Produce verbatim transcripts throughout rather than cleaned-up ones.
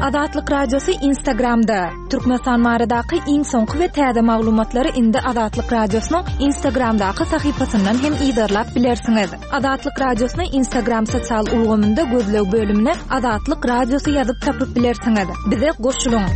Azatlyk Radiosy Instagramda. Türkmenistan baradaky iň soňky we täze maglumatlary indi Azatlyk Radiosynyň Instagramdaky sahypasyndan hem yzarlap bilersiňiz. Azatlyk Radiosyny Instagram sosial ulgamynda gözleg bölümine Azatlyk Radiosy ýazyp tapyp bilersiňiz. Bize goşulyň.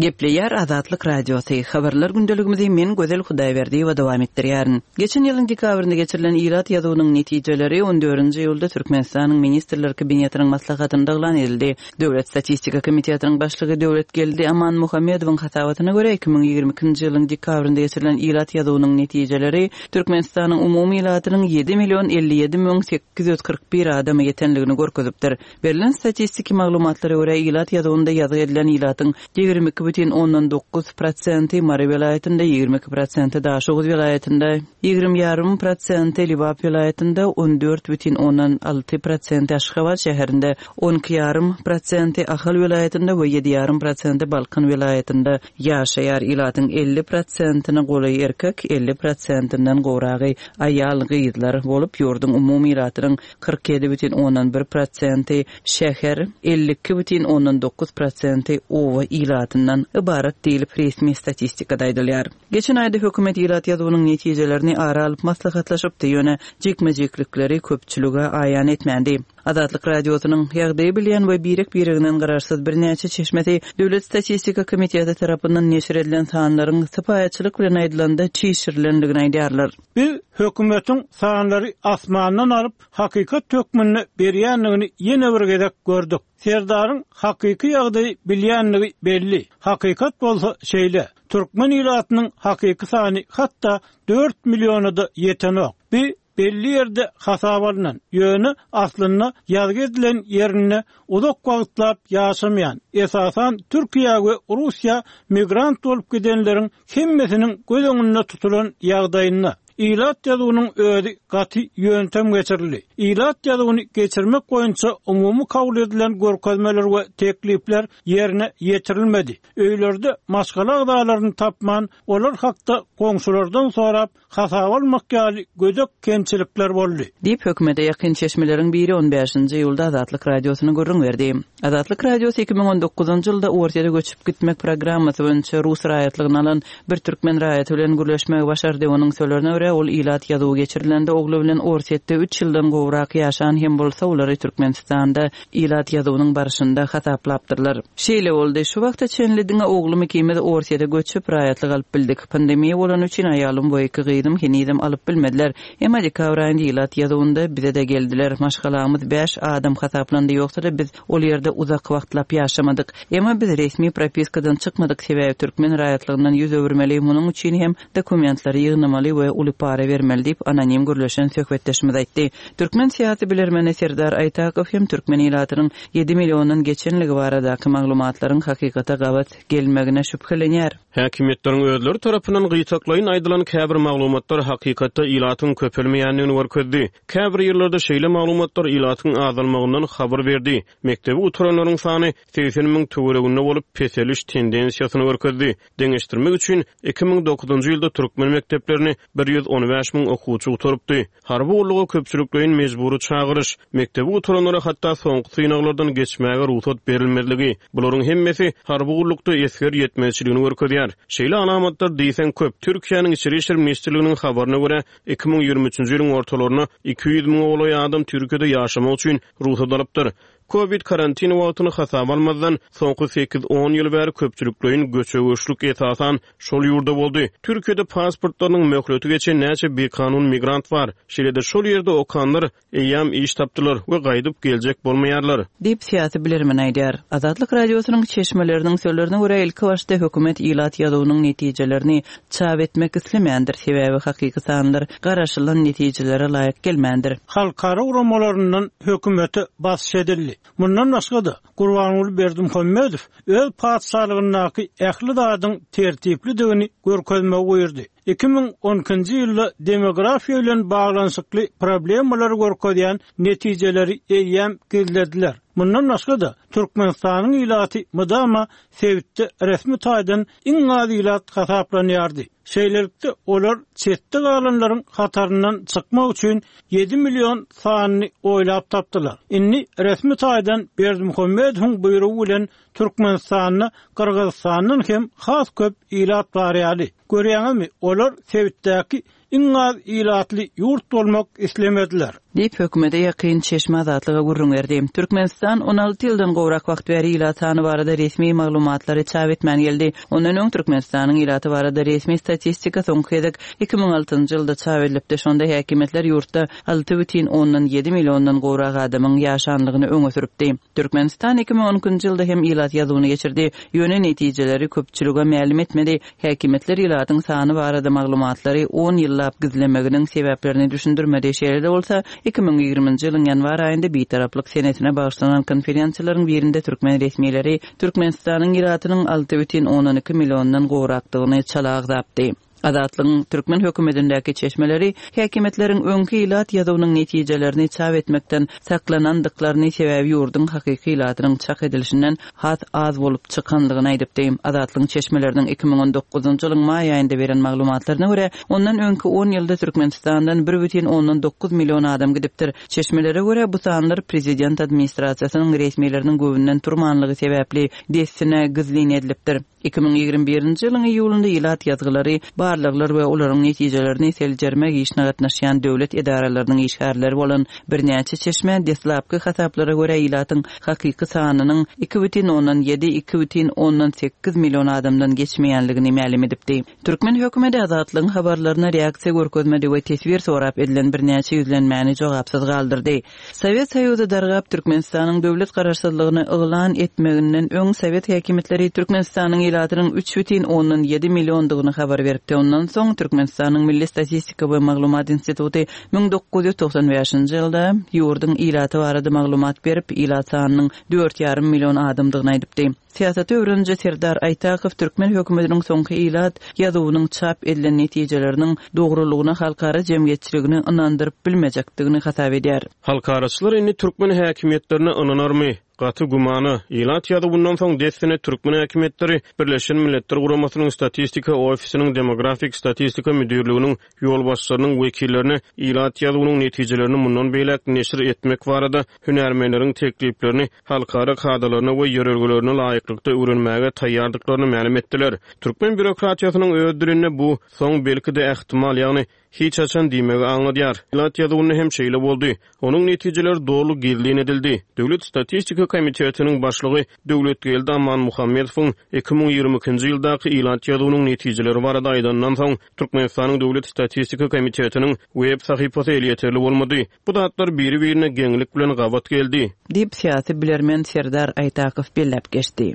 Gepleýär Azatlyk Radiosy. Habarlar gündeligimizi men Gözel Hudaýberdiýewa dowam etdirýärin. Geçen ýylyň dekabrynda geçirilen ilat ýazuwynyň netijeleri on dördünji iýulda Türkmenistanyň Ministrler Kabinetiniň maslahatynda yglan edildi. Döwlet statistika komitetiniň başlygy Döwletgeldi Amanmuhammedowyň hasabatyna görä, iki müň ýigrimi ikinji ýylyň dekabrynda geçirilen ilat ýazuwynyň netijeleri Türkmenistanyň umumy ilatynyň ýedi million elli ýedi müň sekiz ýüz kyrk bir adama ýetenligini görkezipdir. Berlen statistiki maglumatlara görä, ilat ýazuwynda ýazgy edilen ilatyň ýigrimi iki bütin ondan dokuz prosenti Mary welaýatynda, ýigrimi iki prosenti Daşoguz welaýatynda, ýigrimi ýarym prosenti Lebap welaýatynda, on dört bütin ondan alty prosenti Aşgabat şäherinde, on iki ýarym prosenti Ahal welaýatynda we ýedi ýarym prosenti Balkan welaýatynda ýaşaýar. Ilatyň elli prosentine golaý erkek, elli prosentinden gowragy aýal gyzlar bolup, ýurduň umumy ilatynyň kyrk ýedi bütin ondan bir prosenti şäher, elli iki bütin ondan dokuz prosenti oba ilatyndan ybarat diýlip resmi statistikada aýdylýar. Geçen aýda hökümet ilat ýazuwynyň netijelerini ara alyp maslahatlaşypdy, ýöne jikme-jiklikleri köpçülige aýan etmändi. Azatlyk Radiosynyň ýagdaýy bilýän we birek-bireginden garaşsyz birnäçe çeşmesi Döwlet statistika komiteti tarapyndan neşir edilen sanlaryň sypaýyçylyk bilen aýdylanda çişirilendigini aýdýarlar. Biz hökümetiň sanlary asmandan alyp hakykat hökmünde berýändigini ýene bir gezek gördük. Serdaryň hakyky ýagdaýy bilýändigi belli. Hakykat bolsa şeýle. Türkmen ilatynyň hakyky sany hatda dört milliona da ýetenok. Bi belli ýerde hasap alynan, ýöne aslynda ýazgy edilen ýerinde uzak wagtlap ýaşamaýan, esasan Türkiýe we Russiýa migrant bolup gidenleriň hemmesiniň göz öňünde tutulan ýagdaýynda ilat ýazuwynyň özi gaty ýöntem geçirildi. Ilat ýazuwyny geçirmek boýunça umumy kabul edilen görkezmeler we teklipler ýerine ýetirilmedi. Öýlerde maşgala agzalaryny tapman, olar hakda goňşulardan sorap hasap almak ýaly gödek kemçilikler boldy. Diýip hökümete ýakyn çeşmeleriň biri on bäşinji iýulda Azatlyk Radiosyna gürrüň berdi. Azatlyk Radiosy iki müň on dokuzynjy ýylda Orsýete göçüp gitmek programmasy boýunça rus raýatlygyny alan bir türkmen raýaty bilen gürleşmegi başardy. Onuň sözlerine görä, ol ilat ýazuwy geçirilende ogly bilen Orsýetde üç ýyldan gowrak ýaşan hem bolsa, olary Türkmenistanda ilat ýazuwynyň barşynda hasaplapdyrlar. Şeýle boldy. Şu wagta çenli diňe oglum ikimiz Orsýete göçüp raýatlyk alyp bildik. Pandemiýa bolany üçin aýalym we iki gyzym henizem alyp bilmediler. Emma dekabr aýynda ilat ýazuwynda bize-de geldiler. Maşgalamyz bäş adam hasaplandy, ýogsa-da biz ol ýerde uzak wagtlap ýaşamadyk. Emma biz resmi propiskadan çykmadyk, sebäbi türkmen raýatlygyndan ýüz öwürmeli, munuň üçin hem dokumentleri ýygnamaly we uly para bermeli diýip anonim gürleşen söhbetdeşimiz aýtdy. Türkmen syýasy bilermeni Serdar Aýtakow hem türkmen ilatynyň ýedi milliondan geçenligi baradaky maglumatlaryň hakykata gabat gelmegine şübhelenýär. Häkimiýetleriň özleri tarapyndan gytaklaýyn aýdylan käbir maglumatlar hakykatda ilatyň köpelmeýändigini görkezdi. Käbir ýyllarda şeýle maglumatlar ilatyň azalmagyndan habar berdi. Mekdebi gutaranlaryň sany segsen müň töwereginde bolup peseliş tendensiýasyny görkezdi. Deňeşdirmek üçin iki müň dokuzynjy ýylda türkmen mekdeplerini bir ýüz on bäş müň okuwçy gutarypdy. Harby gulluga köpçülikleýin mejbury çagyryş, mekdebi gutaranlara hatda soňky synaglardan geçmäge rugsat berilmezligi, bularyň hemmesi harby gullukda esger ýetmezçiligini görkezýär. Şeýle alamatlar diýseň köp. Türkiýäniň Içeri İşler Ministrliginiň habaryna görä, iki müň ýigrimi üçünji ýylyň ortalarynda iki ýüz müňe golaý adam Türkiýede ýaşamak üçin rugsat alypdyr. Covid karantin wagtyny hasaba almazdan soňky sekiz-on ýyl bäri köpçülikleýin göçe-göçlük esasan şol ýurda boldy. Türkiýede pasportlarynyň möhleti geçen näçe bikanun migrant bar. Şeýle-de şol ýerde okanlar eýýäm iş tapdylar we gaýdyp geljek bolmaýarlar. Diýip syýasy bilermen aýdýar. Azatlyk Radiosynyň çeşmeleriniň sözlerine görä, ilki başda hökümet ilat ýazuwynyň netijelerini çap etmek islemändir, sebäbi hakyky sanlar garaşylan netijelere laýyk gelmändir. Halkara guramalaryndan hökümete basyş edildi. Mundan başga-da Gurbanguly Berdimuhamedow öz patyşalygyndaky ähli zadyň tertiplidigini görkezmegi buýurdy. Iki müň on ikinji ýylda demografiýa bilen baglanyşykly problemalary görkezýän netijeleri eýýäm gizlediler. Mundan başga-da, Türkmenistanyň ilaty mydama sebitde resmi taýdan iň az ilat hasaplanýardy. Şeýlelikde, olar çetde galanlaryň hataryndan çykmak üçin ýedi million sanyny oýlap tapdylar. Indi resmi taýdan Berdimuhamedowyň buýrugy bilen Türkmenistanda Gyrgyzystandan hem has köp ilat bar ýaly. Görýäňizmi, olar sebitdäki iň az ilatly ýurt bolmak islemediler. Diýip, hökümete ýakyn çeşme Azatlyga gürrüň berdi. Türkmenistan on alty ýyldan gowrak wagt bäri ilat sany barada resmi maglumatlary çap etmän geldi. Ondan öň Türkmenistanyň ilaty barada resmi statistika soňky gezek iki müň altynjy ýylda çap edilipdi. Şonda häkimiýetler ýurtda alty bütin ondan ýedi milliondan gowrak adamyň ýaşanlygyny öňe sürüpdi. Türkmenistan iki müň on ikinji ýylda hem ilat ýazuwyny geçirdi. Ýöne netijeleri köpçülige mälim etmedi. Häkimiýetler ilatyň sany barada maglumatlary on ýyllap gizlemeginiň sebäplerini düşündirmedi. Şeýle-de bolsa, iki müň ýigriminji ýylyň ýanwar aýynda Bitaraplyk senesine bagyşlanan konferensiýalaryň birinde türkmen resmileri Türkmenistanyň ilatynyň alty bütin ondan iki milliondan gowrakdygyny çala agzapdy. Azatlygyň türkmen hökümetindäki çeşmeleri häkimiýetleriň öňki ilat ýazuwynyň netijelerini çap etmekden saklanandyklaryny, sebäbi ýurduň hakyky ilatynyň çak edilişinden has az bolup çykanlygyny aýdypdy. Azatlygyň çeşmeleriniň iki müň on dokuzynjy ýylyň maý aýynda beren maglumatlaryna görä, ondan öňki on ýylda Türkmenistandan bir bütin ondan dokuz million adam gidipdir. Çeşmelere görä, bu sanlar prezident administrasiýasynyň resmileriniň göwünden turmanlygy sebäpli dessine gizlin edilipdir. Iki müň ýigrimi birinji ýylyň iýulynda ilat ýazgylary, barlaglar we olaryň netijelerini seljermek işine gatnaşýan döwlet edaralarynyň işgärleri bolan birnäçe çeşme deslapky hasaplara görä ilatyň hakyky sanynyň iki bütin ondan ýedi, iki bütin ondan sekiz million adamdan geçmeýänligini mälim edipdi. Türkmen hökümeti Azatlygyň habarlaryna reaksiýa görkezmedi we teswir sorap edilen birnäçe ýüzlenmäni jogapsyz galdyrdy. Sowet Soýuzy dargap Türkmenistanyň döwlet garaşsyzlygyny yglan etmeginden öň Sowet häkimiýetleri Türkmenistanyň ilatynyň üç bütin ondan ýedi milliondygyny habar beripdi. Ondan soň Türkmenistanyň Milli Statistika we Maglumat Instituty müň dokuz ýüz togsan bäşinji ýylda ýurduň ilaty barada maglumat berip, ilat sanynyň dört ýarym million adamdygyny aýdypdy. Syýasaty öwreniji Serdar Aýtakow türkmen hökümetiniň soňky ilat ýazuwynyň çap edilen netijeleriniň dogrulygyna halkara jemgyýetçiligini ynandyryp bilmejekdigini hasap edýär. Halkaraçylar indi türkmen häkimiýetlerine ynanarmy? Gaty gümana, ilat ýazuwyndan soň dessine türkmen häkimiýetleri Birleşen Milletler Guramasynyň Statistika ofisiniň Demografik Statistika Müdirliginiň ýolbaşçylarynyň wekillerine ilat ýazuwynyň netijelerini mundan beýläk neşir etmek barada hünärmenleriň tekliplerini halkara kadalaryna we ýörelgelerine laýyklykda öwrenmäge taýýardyklaryny mälim etdiler. Türkmen bürokratiýasynyň öz dilinde bu soň belki-de ähtimal, ýagny hiç haçan diýmegi aňladýar. Ilat ýazuwynda hem şeýle boldy. Onuň netijeleri doly gizlin edildi. Döwlet Statistika Komitetiniň başlygy Döwletgeldi Amanmuhammedowyň iki müň ýigrimi ikinji ýyldaky ilat ýazuwynyň netijeleri barada aýdandan soň Türkmenistanyň Döwlet Statistika Komitetiniň web sahypasy elýeterli bolmady. Bu zatlar biri-birine geňlik bilen gabat geldi. Diýip syýasy bilermen Serdar Aýtakow belläp geçdi.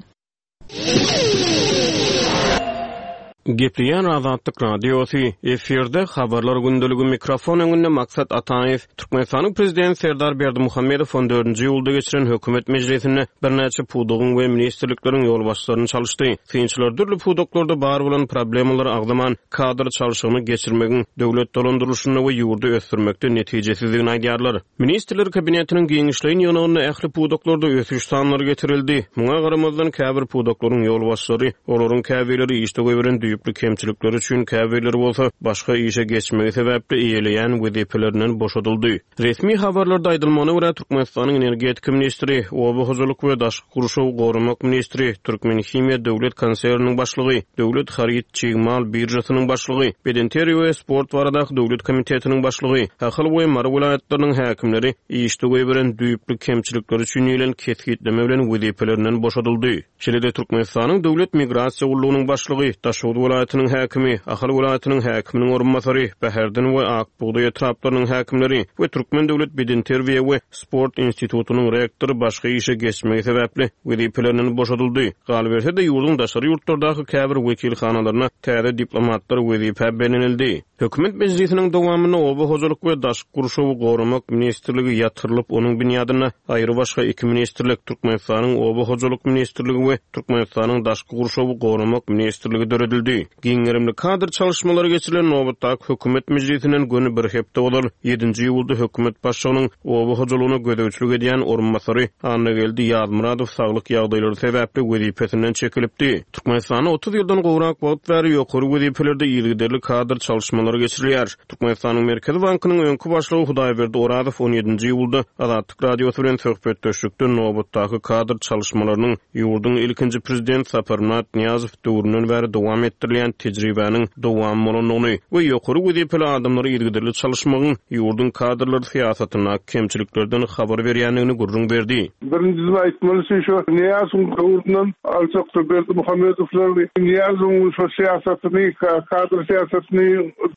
Gepleýän Azatlyk Radiosy, efirde habarlar gündeligi, mikrofon öňünde Maksat Ataýew. Türkmenistanyň Prezidenti Serdar Berdimuhamedow on dördünji iýulda geçiren hökümet mejlisinde birnäçe pudagyň we ministrlikleriň ýolbaşçylaryny çalyşdy. Synçylar dürli pudaklarda bar bolan problemalary agzaman kadr çalşygyny geçirmegiň döwlet dolandyrylyşynda we ýurdy ösdürmekde netijesizligini aýdýarlar. Ministrler kabinetiniň giňişleýin ýygnagynda ähli pudaklarda ösüş sanlary getirildi. Muňa garamazdan käbir pudaklaryň ýolbaşçylary, olaryň käbirleri işde goýberen düýpli kemçilikleri üçin, käbirleri bolsa başga işe geçmegi sebäpli eýeleýän wezipelerinden boşadyldy. Resmi habarlarda aýdylmagyna görä Türkmenistanyň energetika ministri, oba hojalyk we daşky gurşawy goramak ministri, Türkmenhimiýa döwlet konserniniň başlygy, Döwlet haryt çig mal birjasynyň başlygy, Bedenterbiýe we sport baradaky döwlet komitetiniň başlygy, Ahal we Mary welaýatlarynyň häkimleri işde goýberen düýpli kemçilikleri üçin diýlen kesgitleme bilen wezipelerinden boşadyldy. Şeýle-de Türkmenistanyň Döwlet Migrasiýa gullugynyň başlygy, Daşoguz welaýatynyň häkimi, Ahal welaýatynyň häkiminiň orunbasary, Bäherden we Ak bugdaý etraplarynyň häkimleri we Türkmen Döwlet Bedenterbiýe we Sport institutynyň rektory başga işe geçmegi sebäpli wezipelerinden boşadyldy. Galyberse-de ýurduň daşary ýurtlardaky käbir wekilhanalaryna täze diplomatlar wezipä bellenildi. Hökümet mejlisiniň dowamynda Oba hojalyk we daşky gurşawy goramak ministrligi ýatyrylyp, onuň binýadynda aýry başga iki ministrlik, Türkmenistanyň Oba hojalyk ministrligi we Türkmenistanyň daşky gurşawy goramak ministrligi döredildi. boldy. Giň gerimli kadr çalyşmalary geçirilen nobatdaky hökümet mejlisinden göni bir hepde ozal ýedinji iýulda hökümet başlygynyň oba hojalygyna gözegçilik edýän orunbasary Annageldi Ýazmyradow saglyk ýagdaýlary sebäpli wezipesinden çekilipdi. Türkmenistanda otuz ýyldan gowrak wagt bäri ýokary wezipelerde yzygiderli kadr çalyşmalary geçirilýär. Türkmenistanyň Merkezi bankynyň öňki başlygy Hudaýberdi Orazow on ýedinji iýulda Azatlyk Radiosy bilen söhbetdeşlikde nobatdaky kadr çalyşmalarynyň ýurduň ilkinji prezident Saparmyrat Nyýazow döwründen bäri dowam etdirilýän tejribäniň dowam bolandygyny we ýokary wezipeli adamlary yzygiderli çalyşmagyň ýurduň kadrlar syýasatyndaky kemçiliklerden habar berýändigini gürrüň berdi. Birinjisi aýtmaly şu Nyýazowyň döwründen alçakdy Berdimuhamedowlar Nyýazowyň şu syýasatyny, kadr syýasatyny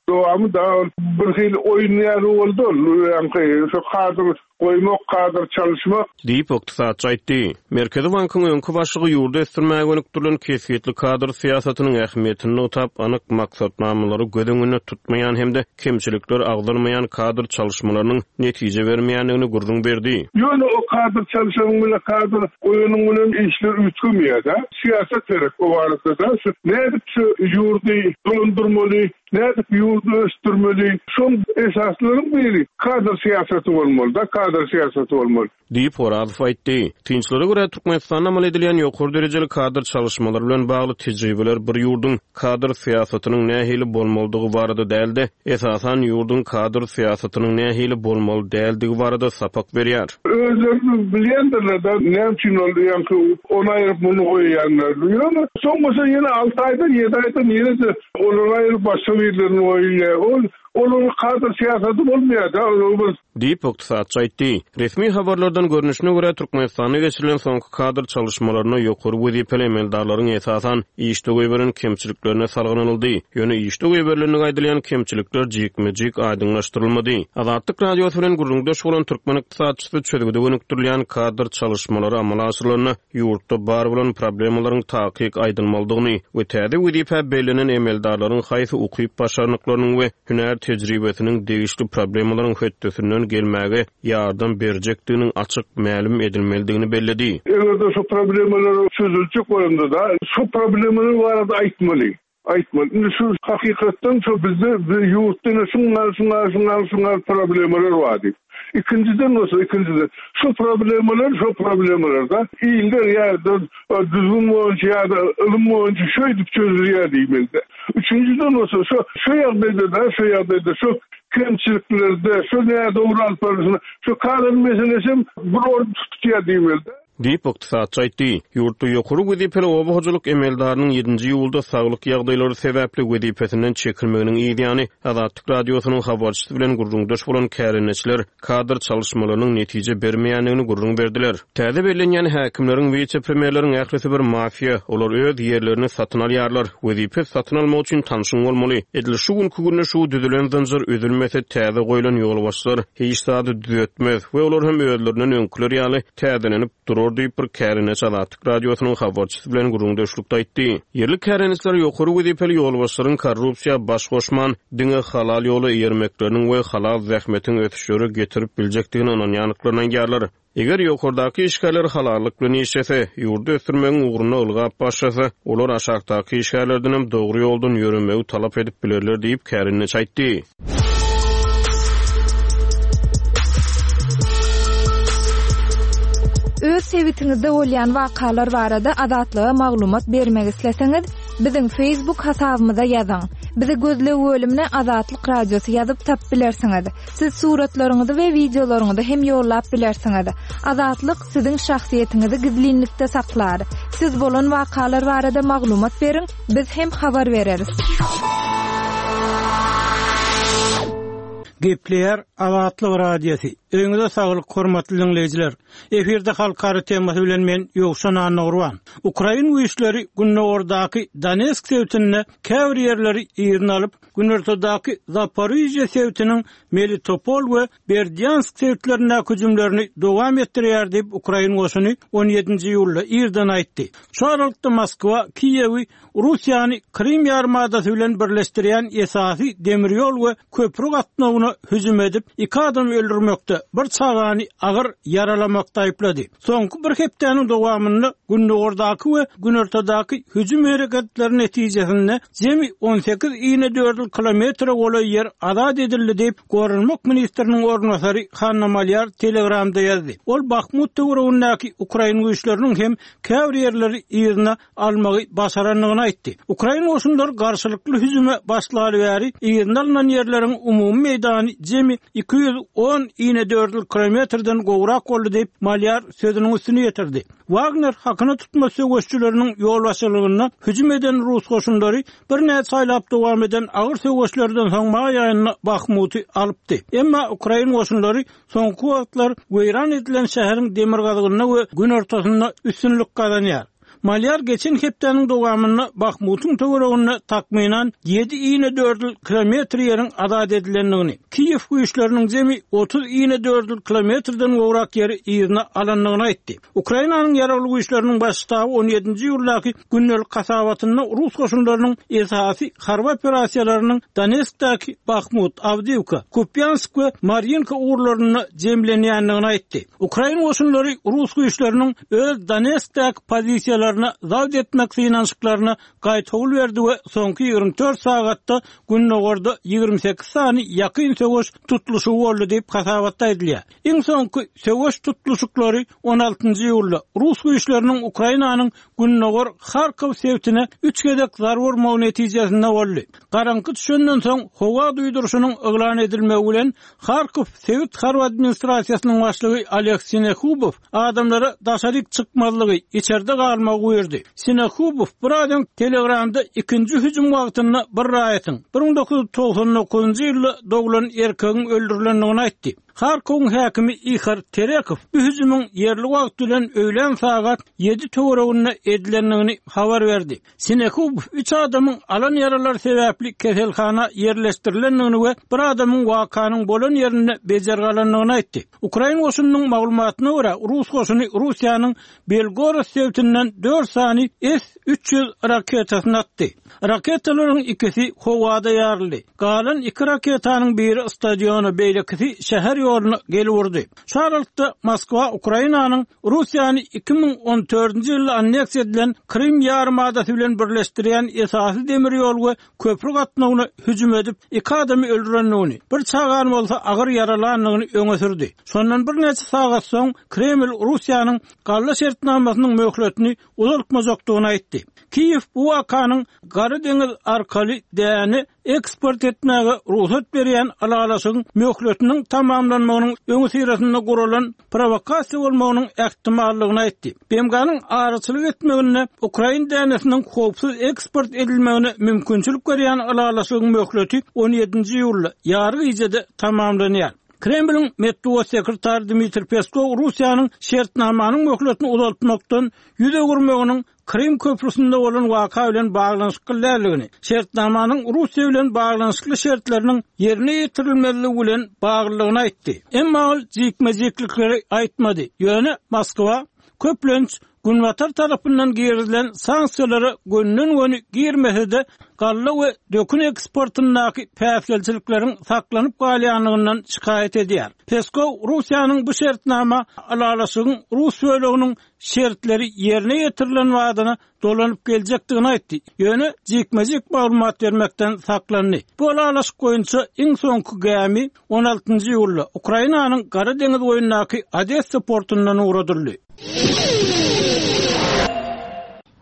dowamy da bir hil oýun ýaly boldy. Ýaňky şu kadr goýmak, kadr çalyşmak diýip ykdysatçy aýtdy. Merkezi bankyň öňki başlygy ýurdy ösdürmäge gönükdirilen kesgitli kadr syýasatynyň ähmiýetini nygtap, anyk maksatnamalary göz öňünde tutmaýan hem-de kemçilikler agzalmaýan kadr çalyşmalarynyň netije bermeýändigini gürrüň berdi. Ýöne o kadr çalyşanyň bilen kadr goýanyň bilen işler üýtgemeýär-de. Syýasat gerek o barada-da. Şu nädip şu ýurdy dolandyrmaly, nädip ýurdy ösdürmeli, şoň esaslaryň biri kadr syýasaty bolmaly-da, kadr syýasaty bolmaly. Diýip Orazow aýtdy. Synçylara görä Türkmenistanda amal edilýän ýokary derejeli kadr çalyşmalary bilen bagly tejribeler bir ýurduň kadr syýasatynyň nähili bolmalydygy barada däl-de, esasan ýurduň kadr syýasatynyň nähili bolmaly däldigi barada sapak berýär. Özlerini bilýändirler-de, näme üçin ol ýaňky ony aýryp muny goýýanlar. Ýöne soň bolsa ýene alty aýdan, ýedi aýdan ýene-de olary aýryp başga birlerini goýýar. Ol olaryň kadr syýasaty bolmaýar-da, ol bir diýip ykdysatçy aýtdy. Resmi habarlardan görnüşine görä Türkmenistanda geçirilen soňky kadr çalyşmalaryna ýokary wezipeli emeldarlaryň esasan işde goýberen kemçiliklerine salgylanyldy. Ýöne işde goýberilendigi aýdylýan kemçilikler jikme-jik aýdyňlaşdyrylmady. Azatlyk Radiosy bilen gürrüňdeş bolan türkmen ykdysatçysy çözgüde gönükdirilýän kadr çalyşmalary amala aşyrylanda ýurtda bar bolan problemalaryň takyk aýdylmalydygyny we täze wezipä bellenen emeldarlaryň haýsy ukyp başarnyklarynyň we hünär tejribesiniň degişli problemalaryň hötdesinden gelmäge ýardam berjekdiginiň açyk mälim edilmelidigini belledi. Eger-de şu problemalar çözüljek bolanda da şu problemalar barada aýtmaly. Aýtmaly. Indi şu hakykatdan şu bizde bir ýurtda ine şunlar, şunlar, şunlar, şunlar problemalar bar diýip. Ikinciden bolsa, ikinciden şu problemalar, şu problemalar da iller ýa-da düzgün boýunça ýa-da ylym boýunça şöýdüp çözülýär diýmeli. Üçünciden bolsa şu, şu ýagdaýda da, şu ýagdaýda şu kemçiliklerde, şu nädogry alyp barylşyny, şu kadr meselesi bir orun tutýar diýmeli. Diýip ykdysatçy aýtdy. Ýurtda ýokary wezipeli oba hojalyk emeldarynyň ýedinji iýulda saglyk ýagdaýlary sebäpli wezipesinden çekilmeginiň ýany Azatlyk Radiosynyň habarçysy bilen gürrüňdeş bolan kärendeçiler kadr çalyşmalarynyň netije bermeýändigini gürrüň berdiler. Täze bellenýän häkimleriň, wise-premýerleriň ählisi bir mafiýa, olar öz ýerlerini satyn alýarlar. Wezipe satyn almak üçin tanşyň bolmaly. Edil şu günki günde şu düzülen zynjyr üzülmese täze goýlan ýolbaşçylar hiç zady düzetmez we olar hem özlerinden öňküler ýaly täzelenip durur diýip bir kärendeçi Azatlyk Radiosynyň habarçysy bilen gürrüňdeşlikde aýtdy. Ýerli kärendeçiler ýokary wezipeli ýolbaşçylaryň korrupsiýa baş goşman, diňe halal ýola eýermekleriniň we halal zähmetiň ösüşleri getirip biljekdigini ynanýandyklaryny aýdýarlar. Eger ýokardaky işgärler halallyk bilen işlese, ýurdy ösdürmegiň ugrunda ylgap başlasa, olar aşakdaky işgärlerden hem dogry ýoldan ýöremegi talap edip bilerler diýip kärendeçi aýtdy. Öz sebitiňizde bolýan wakalar barada Azatlyga maglumat bermek isleseňiz, biziň Facebook hasabymyza ýazyň. Bizi gözleg bölümine Azatlyk Radiosy ýazyp tap bilersiňiz. Siz suratlaryňyzy we wideolaryňyzy hem ýollap bilersiňiz. Azatlyk siziň şahsyýetiňizi gizlinlikde saklar. Siz bolan wakalar barada maglumat beriň, biz hem habar bereris. Gepleýär Azatlyk Radiosy. Öňüňize saglyk hormatly dinleýjiler. Efirde halkara temasy bilen men Ýowşan Annagurban. Ukrain güýçleri Gündogardaky Donetsk sebitinde käbir ýerleri ýerine alyp, Günortadaky Zaporijye sebitiniň Melitopol we Berdyansk sebitlerindäki hüjümlerini dowam etdirýär diýip Ukrain goşuny on ýedinji iýulda irden aýtdy. Şu aralykda Moskwa Kiýewi Russiýany Krim ýarymadasy bilen birleşdirýän esasy demir ýol we köprü gatnawyna köprüsine hüjüm edip, iki adamy öldürmekde, bir çagany agyr ýaralamakda aýyplady. Soňky bir hepdäniň dowamynda Gündogardaky we Günortadaky hüjüm hereketleri netijesinde jemi on sekiz inedördül kilometre golaý ýer azat edildi diýip, Goranmak ministriniň orunbasary Hanna Malýar Telegramda ýazdy. Ol Bahmut töweregindäki ukrain güýçleriniň hem käbir ýerleri yzyna almagy başarandygyny aýtdy. Ukrain goşunlary garşylykly hüjüme başlaly bäri yzyna alnan ýerleriň umumy meýdany jemi iki ýüz on inedördül kilometrden gowrak boldy diýip, Malýar sözüniň üstüni ýetirdi. Wagner hakyna tutma söweşçileriniň ýolbaşçylygynda hüjüm eden rus goşunlary birnäçe aýlap dowam eden agyr söweşlerden soň maý aýynda Bahmuty alypdy. Emma ukrain goşunlary soňky wagtlar weýran edilen şäheriň demirgazygynda we günortasynda üstünlik gazanýar. Malýar geçen hepdäniň dowamynda Bahmutyň töwereginde takmynan ýedi inedördül kilometr ýeriň azat edilendigini, Kiýew güýçleriniň jemi otuz inedördül kilometrden gowrak ýeri yzyna alandygyny aýtdy. Ukrainanyň ýaragly güýçleriniň baş ştaby on ýedinji iýuldaky gündelik hasabatynda rus goşunlarynyň esasy harby operasiýalarynyň Donetskdäki Bahmut, Awdiýewka, Kupýansk we Marýinka ugurlarynda jemlenýändigini aýtdy. Ukrain goşunlary rus güýçleriniň öz Donetskdäki pozisiýalaryna zabt etmek synanyşyklaryna gaýtawul berdi we soňky ýigrimi dört sagatda Gündogarda ýigrimi sekiz sany ýakyn söweş tutluşygy boldy diýip hasabatda aýdylýar. Iň soňky söweş tutluşyklary on altynjy iýulda rus güýçleriniň Ukrainanyň Gündogar Harkow sebitine üç gezek zarba urmagy netijesinde boldy. Garaňky düşenden soň howa duýduryşynyň yglan edilmegi bilen Harkow sebit harby administrasiýasynyň başlygy Oleg Sinehubow adamlara daşaryk çykmazlygy, içerde galmagy buýurdy. Sinehubow bir adam Telegramda ikinji hüjüm wagtynda bir raýatyň bir müň dokuz ýüz togsan dokuzynjy ýylda doglan erkegiň öldürilendigini aýtdy. Harkowyň häkimi Ihor Terekow bu hüjümiň ýerli wagt bilen öýlän sagat ýedi töwereginde edilendigini habar berdi. Sinehubow üç adamyň alan ýaralary sebäpli keselhana ýerleşdirilendigini we bir adamyň wakanyň bolan ýerinde bejergi alandygyny aýtdy. Ukrain goşunynyň maglumatyna görä, rus goşuny Russiýanyň Belgorod sebitinden dört sany S üç ýüz raketasyny atdy. Raketalaryň ikisi howada ýaryldy. Galan iki raketanyň biri stadiona, beýlekisi şäher ýoluna gelip urdy. Şu aralykda Moskwa Ukrainanyň Russiýany iki müň on dördünji ýylda anneksiýa edilen Krym ýarymadasy bilen birleşdirýän esasy demir ýol we köprü gatnawyna hüjüm edip, iki adamy öldürendigini, bir çagany bolsa agyr ýaralandygyny öňe sürdi. Şondan birnäçe sagat soň Kreml Russiýanyň galla şertnamasynyň möhletini uzaltmajakdygyny aýtdy. Kiýew bu wakanyň Gara deňiz arkaly däni eksport etmäge rugsat berýän ylalaşygyň möhletiniň tamamlanmagynyň öňüsyrasynda guralan provokasiýa bolmagynyň ähtimallygyny aýtdy. B M G-nyň araçylyk etmeginde Ukrain dänesiniň howpsuz eksport edilmegine mümkinçilik berýän ylalaşygyň möhleti on ýedinji iýulda ýary gijede tamamlanýar. Kremliň metbugat sekretary Dmitri Peskov Russiýanyň şertnamanyň möhletini uzaltmakdan ýüz öwürmeginiň Krym köprüsinde bolan waka bilen baglanyşykly däldigini, şertnamanyň Russiýa bilen baglanyşykly şertleriniň ýerine ýetirilmezligi bilen baglylygyny aýtdy. Emma ol jikme-jiklikleri aýtmady. Ýöne Moskwa köplenç Günbatar tarapyndan girizilen sanksiýalara gönden-göni girmese-de galla we dökün eksportyndaky päsgelçilikleriň saklanyp galýanlygyndan şikaýat edýär. Peskov Russiýanyň bu şertnama ylalaşygyň rus böleginiň şertleri ýerine ýetirilen wadyna dolanyp geljekdigini aýtdy. Ýöne jikme-jik maglumat bermekden saklandy. Bu ylalaşyk boýunça iň soňky gämi on altynjy iýulda Ukrainanyň Gara deňiz boýundaky Odessa portundan ugradyldy.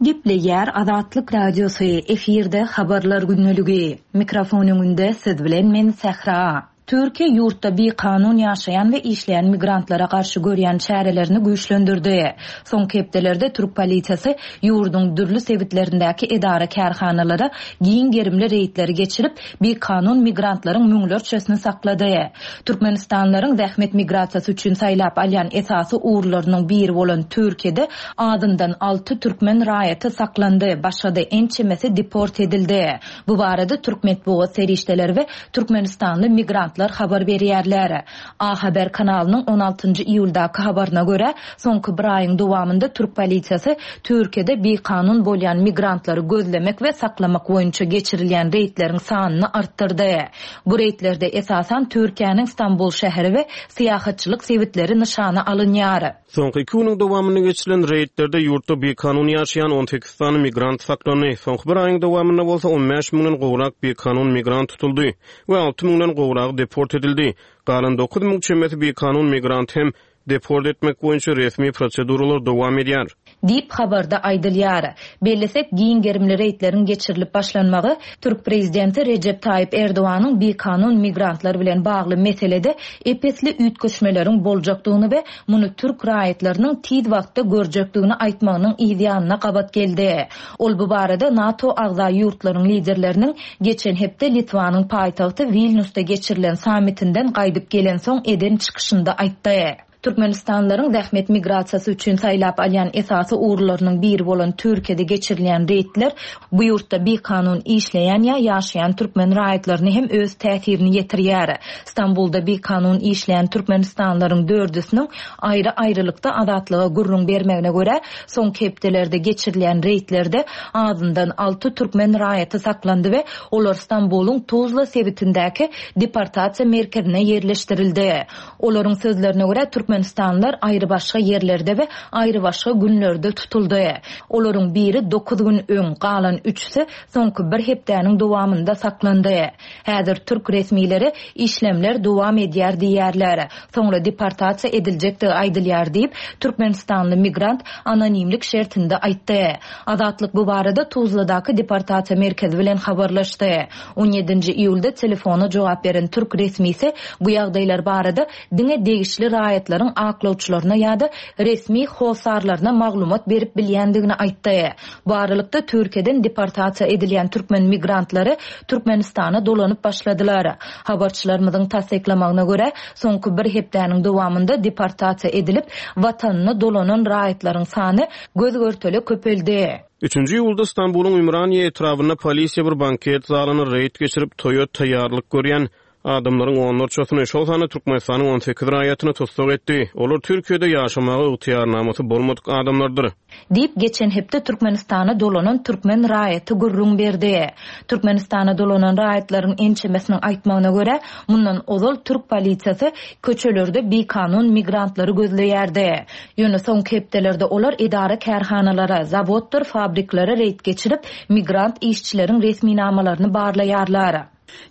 Gepleýär Azatlyk Radiosy, efirde habarlar gündeligi. Mikrofon öňünde siz bilen men Sähra. Türkiýe ýurtda bikanun ýaşaýan we işleýän migrantlara garşy görýän çärelerini güýçlendirdi. Soňky hepdelerde türk polisiýasy ýurduň dürli sebitlerindäki edara kärhanalara giň gerimli reýdleri geçirip, bikanun migrantlaryň müňlerçesini saklady. Türkmenistanlylaryň zähmet migrasiýasy üçin saýlap alýan esasy ugurlarynyň biri bolan Türkiýede azyndan alty türkmen raýaty saklandy, başga-da ençemesi deport edildi. Bu barada türk metbugat serişdeleri we türkmenistanly migrantlar migrantlar habar berýärler. A Haber kanalynyň on altynjy iýuldaky habaryna görä, soňky bir aýyň dowamynda türk polisiýasy Türkiýede bikanun bolýan migrantlary gözlemek we saklamak boýunça geçirilýän reýdleriň sanyny artdyrdy. Bu reýdlerde esasan Türkiýäniň Stambul şäheri we syýahatçylyk sebitleri nyşana alynýar. Soňky iki günüň dowamynda geçirilen reýdlerde ýurtda bikanun ýaşaýan on sekiz sany migrant saklandy. Soňky bir aýyň dowamynda bolsa on bäş müňden gowrak bikanun migrant tutuldy we alty müňden gowragy deport edildi. Galan dokuz müň çemesi bikanun migrant hem deport etmek boýunça resmi proseduralar dowam edýär. Diýip habarda aýdylýar. Bellesek, giň gerimli reýdleriň geçirilip başlanmagy Türk prezidenti Recep Tayyip Erdoganyň bikanun migrantlar bilen bagly meselede epesli üýtgeşmeleriň boljakdygyny we muny türk raýatlarynyň tiz wagtda görjekdigini aýtmagynyň yzýanyna gabat geldi. Ol bu barada NATO agza ýurtlaryň liderleriniň geçen hepde Litwanyň paýtagty Vilniusda geçirilen sammitinden gaýdyp gelensoň eden çykyşynda aýtdy. Türkmenistanlylaryň zähmet migrasiýasy üçin saýlap alýan esasy ugurlarynyň biri bolan Türkiýede geçirilýän reýdler bu ýurtda bikanun işleýän ýa ýaşaýan türkmen raýatlaryny hem öz täsirini ýetirýär. Stambulda bikanun işleýän türkmenistanlylaryň dördüsiniň aýry-aýrylykda azatlyga gürrüň bermegine görä, soňky hepdelerde geçirilýän reýdlerde azyndan alty türkmen raýaty saklandy we olar Stambulyň Tuzla sebitindäki deportasiýa merkezine ýerleşdirildi. Olaryň sözlerine görä, Türkmenistanlylar aýry başga ýerlerde we aýry başga günlerde tutuldy. Olaryň biri dokuz gün öň, galan üçüsi soňky bir hepdäniň dowamynda saklandy. Häzir türk resmileri işlemler dowam edýär diýýärler. Soňra deportasiýa ediljekdigi aýdylýar diýip, Türkmenistanly migrant anonimlik şertinde aýtdy. Azatlyk bu barada Tuzladaky deportasiýa merkezi bilen habarlaşdy. on ýedinji iýulda telefona jogap beren türk resmisi bu ýagdaýlar barada diňe degişli raýatlaryň aklawçylaryna ýa-da resmi hossarlaryna maglumat berip bilýändigini aýtdy. Bu aralykda Türkiýeden deportasiýa edilýän türkmen migrantlary Türkmenistana dolanyp başladylar. Habarçylarymyzyň tassyklamagyna görä, soňky bir hepdäniň dowamynda deportasiýa edilip, watanyna dolanan raýatlaryň sany göz görtele köpeldi. Üçünji iýulda Stambulyň Ümraniýe etrabynda polisiýa bir banket zalyna reýd geçirip, toýa taýýarlyk görýän adamlaryň onlarçasyny, şol sanda Türkmenistanyň on sekiz raýatyny tussag etdi. Olar Türkiýede ýaşamaga ygtyýarnamasy bolmadyk adamlardyr. Diýip, geçen hepde Türkmenistana dolanan türkmen raýaty gürrüň berdi. Türkmenistana dolanan raýatlaryň ençemesiniň aýtmagyna görä, mundan ozal türk polisiýasy köçelerde bikanun migrantlary gözleýärdi. Ýöne soňky hepdelerde olar edara kärhanalara, zawoddyr fabriklere reýd geçirip, migrant işçileriň resminamalaryny barlaýarlar.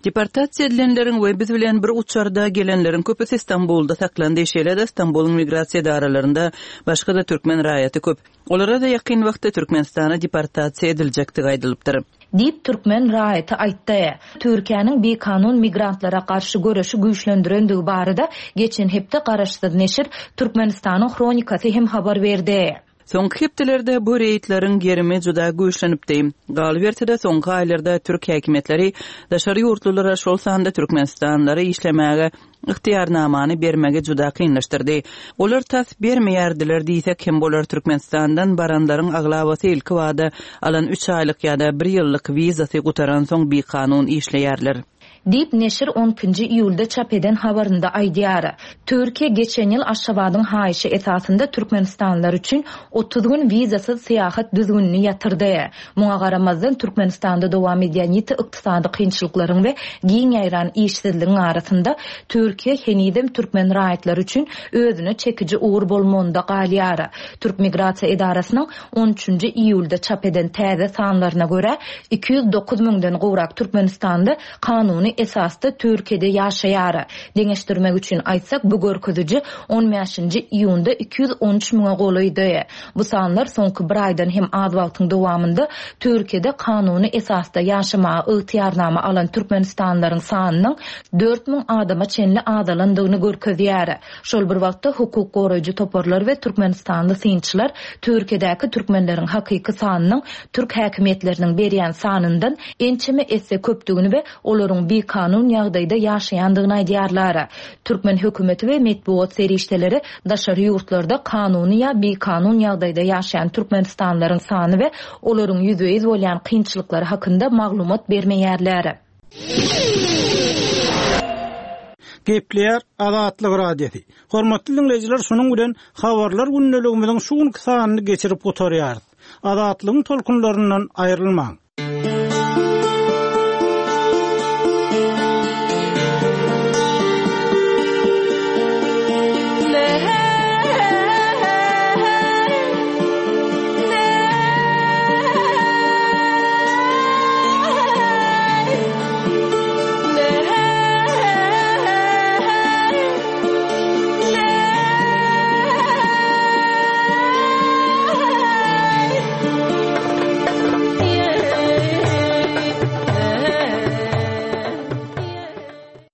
Deportasiýa edilenleriň we biz bilen bir uçarda gelenleriň köpüsi Stambulda saklandy. Şeýle-de Stambulyň migrasiýa edaralarynda başga-da türkmen raýaty köp. Olara da ýakyn wagtda Türkmenistana deportasiýa ediljekdigi aýdylypdyr. Diýip türkmen raýaty aýtdy. Türkiýäniň bikanun migrantlara garşy göreşi güýçlendirendigi barada geçen hepde garaşsyz neşir Türkmenistanyň Hronikasy hem habar berdi. Soňky hepdelerde bu reýdleriň gerimi juda güýçlenipdi. Galyberse-de soňky aýlarda türk häkimiýetleri daşary ýurtlulara, şol sanda Türkmenistanlylara işlemäge ygtyýarnamany bermegi juda kynlaşdyrdy. Olar tas bermeýärdiler diýsek hem bolar. Türkmenistandan baranlaryň aglabasy ilki wada alan üç aýlyk ýa-da bir ýyllyk wizasy gutaransoň bikanun işleýärler. Diýip neşir on ikinji iýulda çap eden habarynda aýdýar. Türkiýe geçen ýyl Aşgabadyň haýyşy esasynda Türkmenistanlylar üçin otuz gün wizasyz syýahat düzgünini ýatyrdy. Muňa garamazdan Türkmenistanda dowam edýän ýiti ykdysady kynçylyklaryň we giň ýaýran işsizligiň arasynda Türkiýe henizem türkmen raýatlary üçin özüne çekiji ugur bolmagynda galýar. Türk Migrasiýa edarasynyň on üçünji iýulda çap eden täze sanlaryna görä iki ýüz dokuz müňden gowrak Türkmenistanly kanuny esasda Türkiýede ýaşaýar. Deňeşdirmek üçin aýtsak, bu görkeziji on bäşinji iýunda iki ýüz on üç müňe golaýdy. Bu sanlar soňky bir aýdan hem az wagtyň dowamynda Türkiýede kanuny esasda ýaşamaga ygtyýarnama alan Türkmenistanlylaryň sanynyň dört müň adama çenli azalandygyny görkezýär. Şol bir wagtda hukuk goraýjy toparlar we Türkmenistanly synçylar Türkiýedäki türkmenleriň hakyky sanynyň türk häkimiýetleriniň berýän sanyndan ençeme esse köpdügini we olaryň bikanun ýagdaýda ýaşaýandygyny aýdýarlar. Türkmen hökümeti we metbugat serişdeleri daşary ýurtlarda kanuny ýa bikanun ýagdaýda ýaşaýan Türkmenistanlylaryň sany we olaryň ýüzbe-ýüz bolýan kynçylyklary hakynda maglumat bermeýärler. Gepleýär Azatlyk Radiosy. Hormatly diňleýjiler, şunuň bilen Habarlar gündeligimiziň şu günki sanyny geçirip gutarýarys. Azatlygyň tolkunlaryndan aýrylmaň.